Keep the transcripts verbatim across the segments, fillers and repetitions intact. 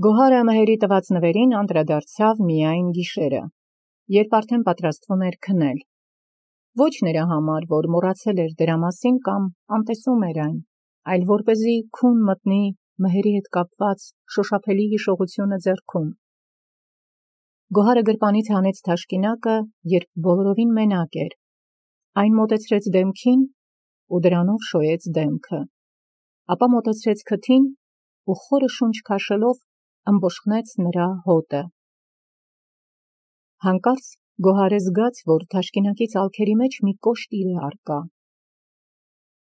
Գոհարը մհերի տված նվերին անդրադարձավ միայն գիշերը, երբ արդեն պատրաստվում էր քնել։ Ոչ նրա համար, որ մոռացել էր դրա մասին կամ անտեսում էր այն, այլ որպեսզի քուն մտնի մհերի հետ կապված շոշափելի հիշողությունը ձեռքում։ Գոհարը գրպանից հանեց թաշկինակը, երբ բոլորովին մենակ էր, այն մոտեցրեց դեմքին ու դրանով շոյեց դեմքը, ապա մոտեցրեց քթին ու խորը շունչ քաշելով ըմբոշխնեց նրա հոտը։ Հանկարծ Գոհարը զգաց, որ թաշկինակի ծալքերի մեջ մի կոշտ իր է առկա։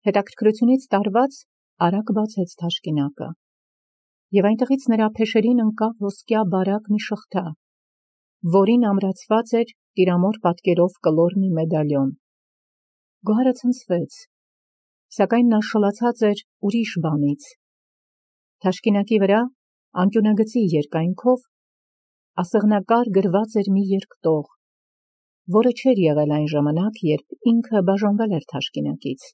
Հետաքրքրությունից տարված արագ բացեց թաշկինակը, և այնտեղից նրա փեշերին ընկավ ոսկյա բարակ մի շղթա, որին ամրացված էր տիրամոր պատկերով կլոր մի մեդալիոն։ Գոհարը ցնցվեց, սակայն նա շլացած էր ուրիշ բանից։ Թաշկինակի վրա անկյունագծի երկայնքով ասեղնակար գրված էր մի երկտող, որը չէր եղել այն ժամանակ, երբ ինքը բաժանվել էր թաշկինակից։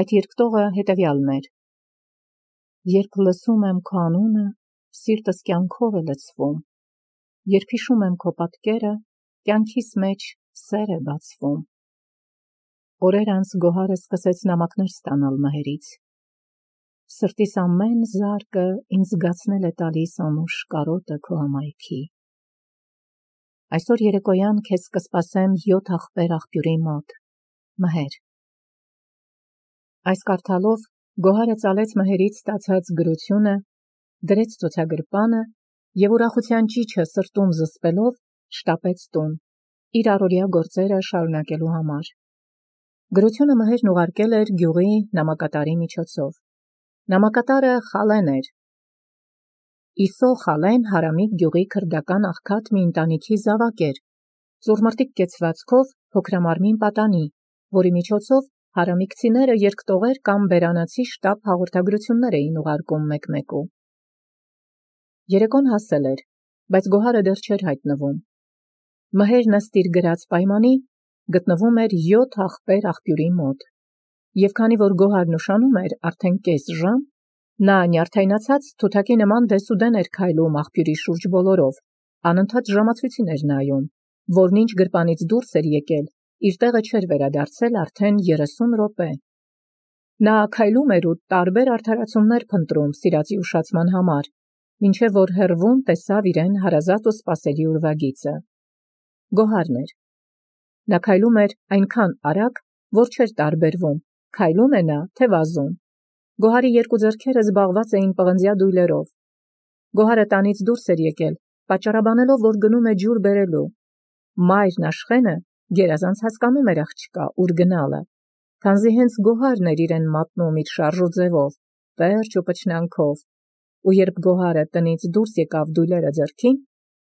Այդ երկտողը հետևյալն էր. «Երբ լսում եմ քո անունը, սիրտս կյանքով է լցվում, երբ հիշում եմ քո պատկերը, կյանքիս մեջ սեր է բացվում»։ Օրեր անց Գոհարը սկսեց նամակներ ստանալ մհերից։ Սրտիս ամեն զարկը ինձ զգացնել է տալիս անուշ կարոտը քո հմայքի։ Այսօր երեկոյան քեզ կսպասեմ յոթ աղբեր աղբյուրի մոտ, մհեր։ Այս կարդալով Գոհարը ծալեց մհերից ստացած գրությունը, դրեց ցուցագրպանը և ուրախության ճիչը սրտում զսպելով շտապեց տուն, իր առօրյա գործերը շարունակելու համար։ Գրությունը մհերն ուղարկել էր գյուղի նամակատարի միջոցով։ Նամակատարը Խալեն էր։ Իսո Խալեն Հարամիկ գյուղի քրդական աղքատ մի ընտանիքի զավակ էր, ծուռմռտիկ կեցվածքով փոքրամարմին պատանի, որի միջոցով հարամիկցիները երկտողեր կամ բերանացի շտապ հաղորդագրություններ էին ուղարկում մեկ-մեկու։ Երեկոն հասել էր, բայց Գոհարը դեռ չէր հայտնվում։ Մհերն ըստ իր գրած պայմանի գտնվում էր յոթ աղբեր աղբյուրի մոտ, և քանի որ Գոհարն ուշանում էր արդեն կես ժամ, նա նյարդայնացած թութակի նման դեսուդեն էր քայլում աղբյուրի շուրջ բոլորով, անընդհատ ժամացույցին էր նայում, որն ինչ գրպանից դուրս էր եկել, իր տեղը չէր վերադարձել արդեն երեսուն րոպե։ Նա քայլում էր ու տարբեր արդարացումներ փնտրում սիրածի ուշացման համար, մինչև որ հեռվում տեսավ իրեն հարազատ ու սպասելի ուրվագիծը։ Գոհարն էր։ Նա քայլում էր այնքան արագ, որ չէր տարբերվում, քայլում է նա, թե վազում։ Գոհարի երկու ձեռքերը զբաղված էին պղնձյա դույլերով։ Գոհարը տանից դուրս էր եկել, պատճառաբանելով, որ գնում է ջուր բերելու։ Մայրն Աշխենը գերազանց հասկանում էր աղջկա ուր գնալը, քանզի հենց Գոհարն էր իրեն մատնում իր շարժու ձևով, պերճ ու պչնանքով, ու երբ Գոհարը տնից դուրս եկավ դույլերը ձեռքին,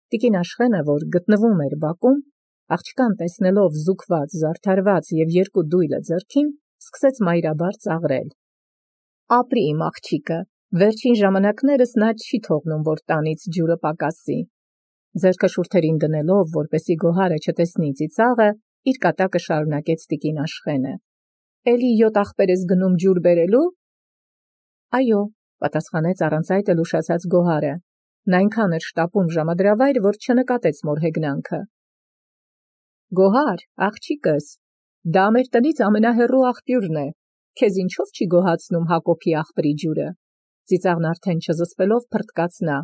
տիկին Աշխենը, որ գտնվում էր բակում, աղջկան տեսնելով զուգված, զարդարված և երկու դույլը ձեռքին, սկսեց մայրաբար ծաղրել։ Ապրի իմ աղջիկը, վերջին ժամանակներս նա չի թողնում, որ տանից ջուրը պակասի։ Ձեռքը շուրթերին դնելով, որպեսզի Գոհարը չտեսնի ծիծաղը, իր կատակը շարունակեց տիկին Աշխենը։ Էլի յոթ աղբեր ես գնում ջուր բերելու։ Այո, պատասխանեց առանց այդ էլ ուշացած Գոհարը։ Նա այնքան էր շտապում ժամադրավայր, որ չնկատեց մոր հեգնանքը։ Գոհար, աղջիկս, դա մեր տնից ամենահեռու աղբյուրն է, քեզ ինչով չի գոհացնում Հակոբի աղբրի ջուրը։ Ծիծաղն արդեն չզսպելով փռթկաց նա։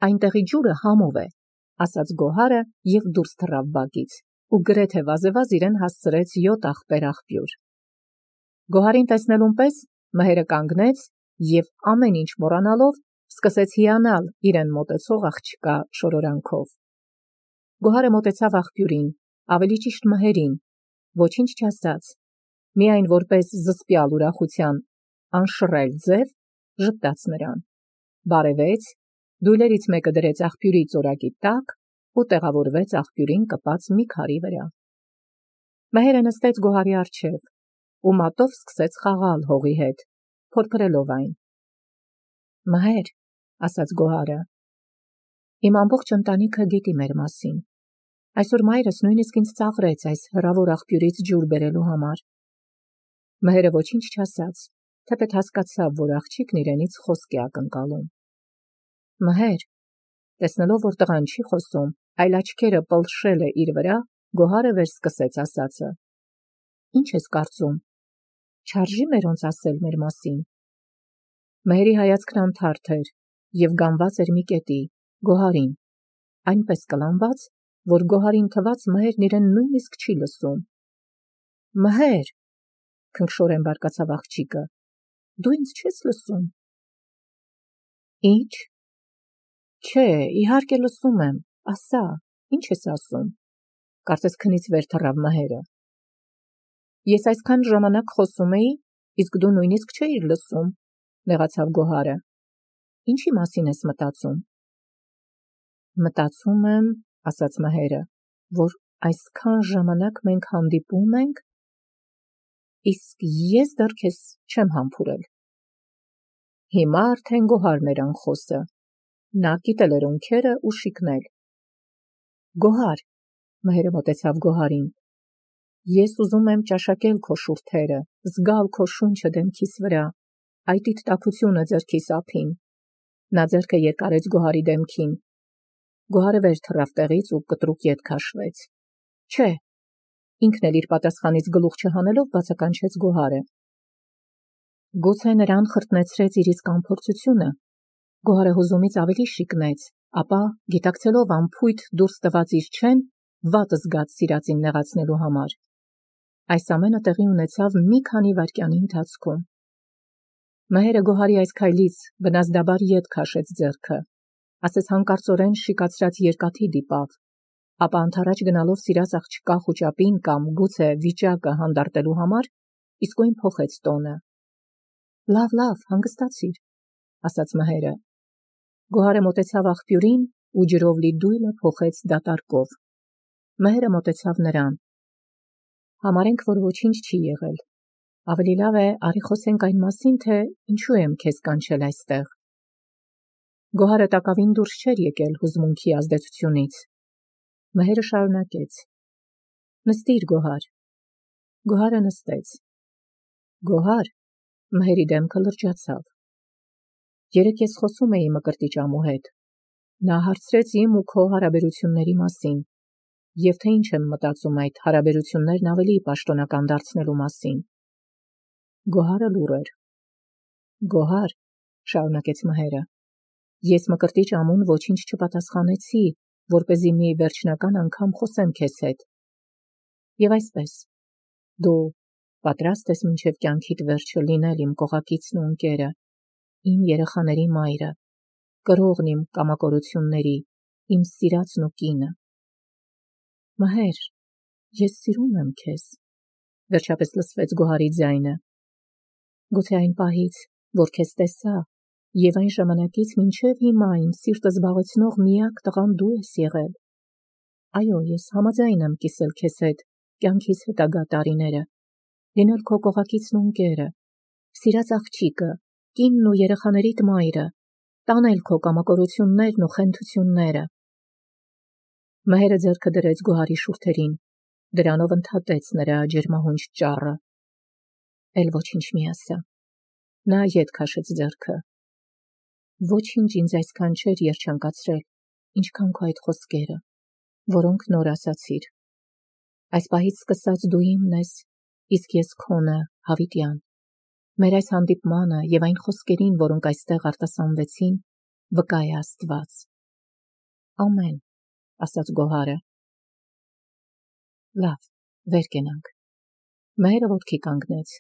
Այնտեղի ջուրը համով է, ասաց Գոհարը և դուրս թռավ բակից, ու գրեթե վազեվազ իրեն հասցրեց յոթ աղբեր աղբյուր։ Գոհարին տեսնելուն պես մհերը կանգնեց և ամեն ինչ մոռանալով սկսեց հիանալ իրեն մոտեցող աղջկա շորորանքով։ Գոհարը մոտեցավ աղբյուրին, ավելի ճիշտ մհերին, ոչինչ չասաց, միայն որպես զսպյալ ուրախության անշռայլ ձև ժպտաց նրան, բարևեց, դույլերից մեկը դրեց աղբյուրի ծորակի տակ ու տեղավորվեց աղբյուրին կպած մի քարի վրա։ Մհերը նստեց Գոհարի առջև ու մատով սկսեց խաղալ հողի հետ, փորփրելով այն։ Մհեր, ասաց Գոհարը, իմ ամբողջ ընտանիքը գիտի մեր մասին։ Այսօր մայրս նույնիսկ ինձ ծաղրեց այս հեռավոր աղբյուրից ջուր բերելու համար։ Մհերը ոչինչ չասաց, թեպետ հասկացավ, որ աղջիկն իրենից խոսք է ակնկալում։ Մհեր, տեսնելով, որ տղան չի խոսում, այլ աչքերը պլշել է իր վրա, Գոհարը վերսկսեց ասածը. Ինչ ես կարծում, չարժի մերոնց ասել մեր մասին։ Մհերի հայացքն անթարթ էր և գանված էր մի կետի, Գոհարին, այնպես կլանված, որ Գոհարին թված Մհերն իրեն նույնիսկ չի լսում։ Մհեր, քնքշորեն բարկացավ աղջիկը, դու ինձ չես լսում։ Ինչ։ Չէ, իհարկե լսում եմ, ասա, ինչ ես ասում։ Կարծես քնից վեր թռավ Մհերը։ Ես այսքան ժամանակ խոսում էի, իսկ դու նույնիսկ չէիր լսում, նեղացավ Գոհարը։ Ինչի մասին ես մտածում։ Մտածում եմ, ասաց Մհերը, որ այսքան ժամանակ մենք հանդիպում ենք, իսկ ես դեռ քեզ չեմ համբուրել։ Հիմա արդեն Գոհարն էր անխոսը։ Նա կիտել էր ունքերը ու շիկնել։ Գոհար, Մհերը մոտեցավ Գոհարին, ես ուզում եմ ճաշակել քո շուրթերը, զգալ քո շունչը դեմքիս վրա, այտիդ տաքությունը ձեռքիս ափին։ Նա ձեռքը երկարեց Գոհարի դեմքին։ Գոհարը վեր թռավ տեղից ու կտրուկ ետ քաշվեց։ Չէ, ինքն էլ իր պատասխանից գլուխ չհանելով բացականչեց Գոհարը։ Գուցե նրան խրտնեցրեց իր իսկ անփորձությունը։ Գոհարը հուզումից ավելի շիկնեց, ապա, գիտակցելով անփույթ դուրս տված իր չեն, վատ զգաց սիրածին նեղացնելու համար։ Այս ամենը տեղի ունեցավ մի քանի վայրկյանի ընթացքում։ Մհերը Գոհարի այս քայլից վնասդաբար ետ քաշեց ձեռքը, ասես հանկարծորեն շիկացրած երկաթի դիպավ, ապա անթառաջ գնալով սիրած աղջկա խուճապին կամ գուցե վիճակը հանդարտելու համար իսկույն փոխեց տոնը։ Լավ, լավ, հանգստացիր, ասաց Մհերը։ Գոհարը մոտեցավ աղբյուրին ու ջրով լի դույլը փոխեց դատարկով։ Մհերը մոտեցավ նրան։ Համարենք, որ ոչինչ չի եղել։ Ավելի լավ է, արի խոսենք այն մասին, թե ինչու եմ քեզ կանչել այստեղ։ Գոհարը տակավին դուրս չէր եկել հուզմունքի ազդեցությունից։ Մհերը շարունակեց. Նստիր, Գոհար։ Գոհարը նստեց։ Գոհար, Մհերի դեմքը լրջացավ։ Երեկ ես խոսում էի Մկրտիչ ամու հետ։ Նա հարցրեց իմ ու քո հարաբերությունների մասին, և թե ինչ եմ մտածում այդ հարաբերություններն ավելի պաշտոնական դարձնելու մասին։ Գոհարը լուռ էր։ Գոհար, շարունակեց Մհերը, ես Մկրտիչ ամուն ոչինչ չպատասխանեցի, որպեսզի մի վերջնական անգամ խոսեմ քեզ հետ։ Եվ այսպես, դու պատրաստ ես մինչև կյանքիդ վերջը լինել իմ կողակիցն ու ընկերը, իմ երեխաների մայրը, կրողն իմ կամակորությունների, իմ սիրածն ու կինը։ Մհեր, ես սիրում եմ քեզ, վերջապես լսվեց Գոհարի ձայնը։ Գուցե այն պահից, որ քեզ տեսա, և այն ժամանակից մինչև հիմա իմ սիրտը զբաղեցնող միակ տղան դու ես եղել։ Այո, ես համաձայն եմ կիսել քեզ հետ կյանքիս հետագա տարիները, լինել քո կողակիցն ու ընկերը, սիրած աղջիկը, կինն ու երեխաներիդ մայրը, տանել քո կամակորություններն ու խենթությունները։ Մհերը ձեռքը դրեց Գոհարի շուրթերին, դրանով ընդհատեց նրա ջերմահունչ ճառը։ Էլ ոչինչ մի ասա։ Նա ետ քաշեց ձեռքը։ Ոչինչ ինձ այսքան չէր երջանկացրել, ինչքան քո այդ խոսքերը, որոնք նոր ասացիր։ Այս պահից սկսած դու իմն ես, իսկ ես քոնը, հավիտյան։ Մեր այս հանդիպմանը և այն խոսքերին, որոնք այստեղ արտասանվեցին, վկա է Աստված։ Ամեն, ասաց Գոհարը։ Լավ, վեր կենանք։ Մհերը ոտքի կանգնեց։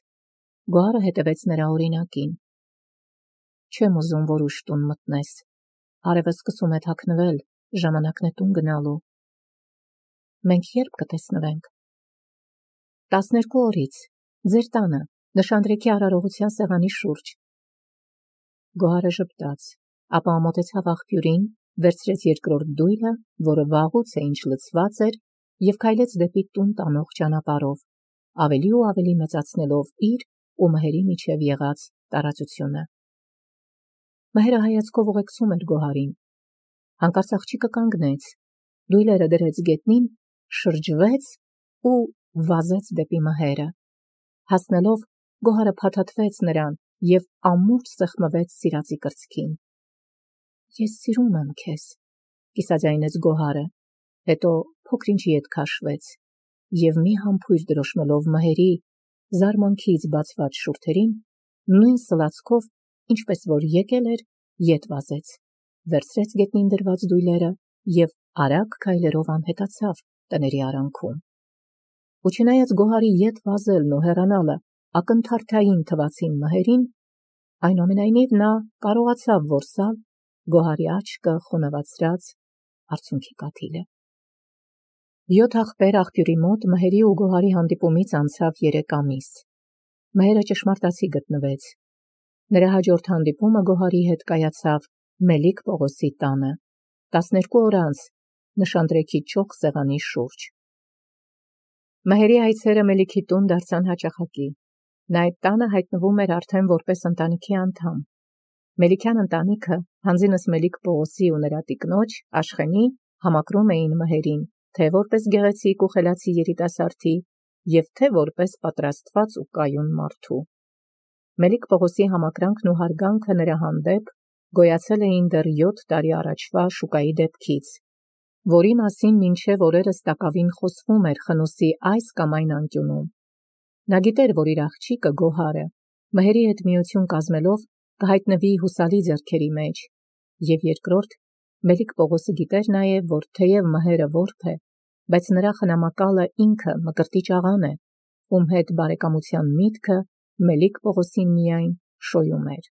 Գոհարը հետևեց նրա օրինակին։ Չեմ ուզում, որ ուշ տուն մտնես։ Արևը սկսում է թաքնվել, ժամանակն է տուն գնալու։ Մենք երբ կտեսնվենք։ Տասներկու օրից, ձեր տանը, Նշանдрեքի արարողության սեղանի շուրջ։ Գոհարը ժպտաց, ապա մոտեցավ աղբյուրին, վերցրեց երկրորդ դույլը, որը վաղուց է ինչ լցված էր, և քայլեց դեպի տուն տանող ճանապարհով, ավելի ու ավելի մեծացնելով իր ու Մհերի միջև եղած տարածությունը։ Մհերը հայացքով ուղեկցում էր Գոհարին։ Հանկարծ աղջիկը կանգնեց, դույլերը դրեց գետնին, շրջվեց ու վազեց դեպի Մհերը։ Հասնելով, Գոհարը փաթաթվեց նրան և ամուր սեղմվեց սիրածի կրծքին։ Ես սիրում եմ քեզ, կիսաձայնեց Գոհարը, հետո փոքր-ինչի հետ քաշվեց, և մի համբույր դրոշմելով մհերի զարմանքից բացված շուրթերին, նույն սլացքով, ինչպես որ եկել էր, ետ վազեց, վերցրեց գետնին դրված դույլերը և արագ քայլերով անհետացավ տների արանքում։ Ու չնայած Գոհարի ետ վազելն ու հեռանալը ակնթարթային թվացին մհերին, այնուամենայնիվ նա կարողացավ որսալ Գոհարի աչքը խոնավացրած արցունքի կաթիլը։ Յոթ աղբեր աղբյուրի մոտ մհերի ու Գոհարի հանդիպումից անցավ երեք ամիս։ Մհերը ճշմարտացի գտնվեց։ Նրա հաջորդ հանդիպումը Գոհարի հետ կայացավ Մելիք Պողոսի տանը, տասներկու օր անց նշանտրեքի ճոխ սեղանի շուրջ։ Մհերի այցերը Մելիքի տուն դարձան հաճախակի։ Նա այդ տանը հայտնվում էր արդեն որպես ընտանիքի անդամ։ Մելիքյան ընտանիքը, հանձինս Մելիք Պողոսի ու նրա տիկնոջ Աշխենի, համակրում էին մհերին, թե որպես գեղեցիկ ու խելացի երիտասարդի, և թե որպես պատրաստված ու կայուն մարդու։ Մելիք Պողոսի համակրանքն ու հարգանքը նրա հանդեպ գոյացել էին դեռ յոթ տարի առաջվա շուկայի դեպքից, որի մասին մինչև օրերս տակավին խոսվում էր Խնոսի այս կամ այն անկյունում։ Նա գիտեր, որ իր աղջիկը Գոհարը մհերի հետ միություն կազմելով կհայտնվի հուսալի ձեռքերի մեջ, և երկրորդ, Մելիք Պողոսը գիտեր նաև, որ թեև մհերը որբ է, բայց նրա խնամակալը ինքը Մկրտիչ աղան է, ում հետ բարեկամության միտքը Մելիք Պողոսին միայն շոյում էր։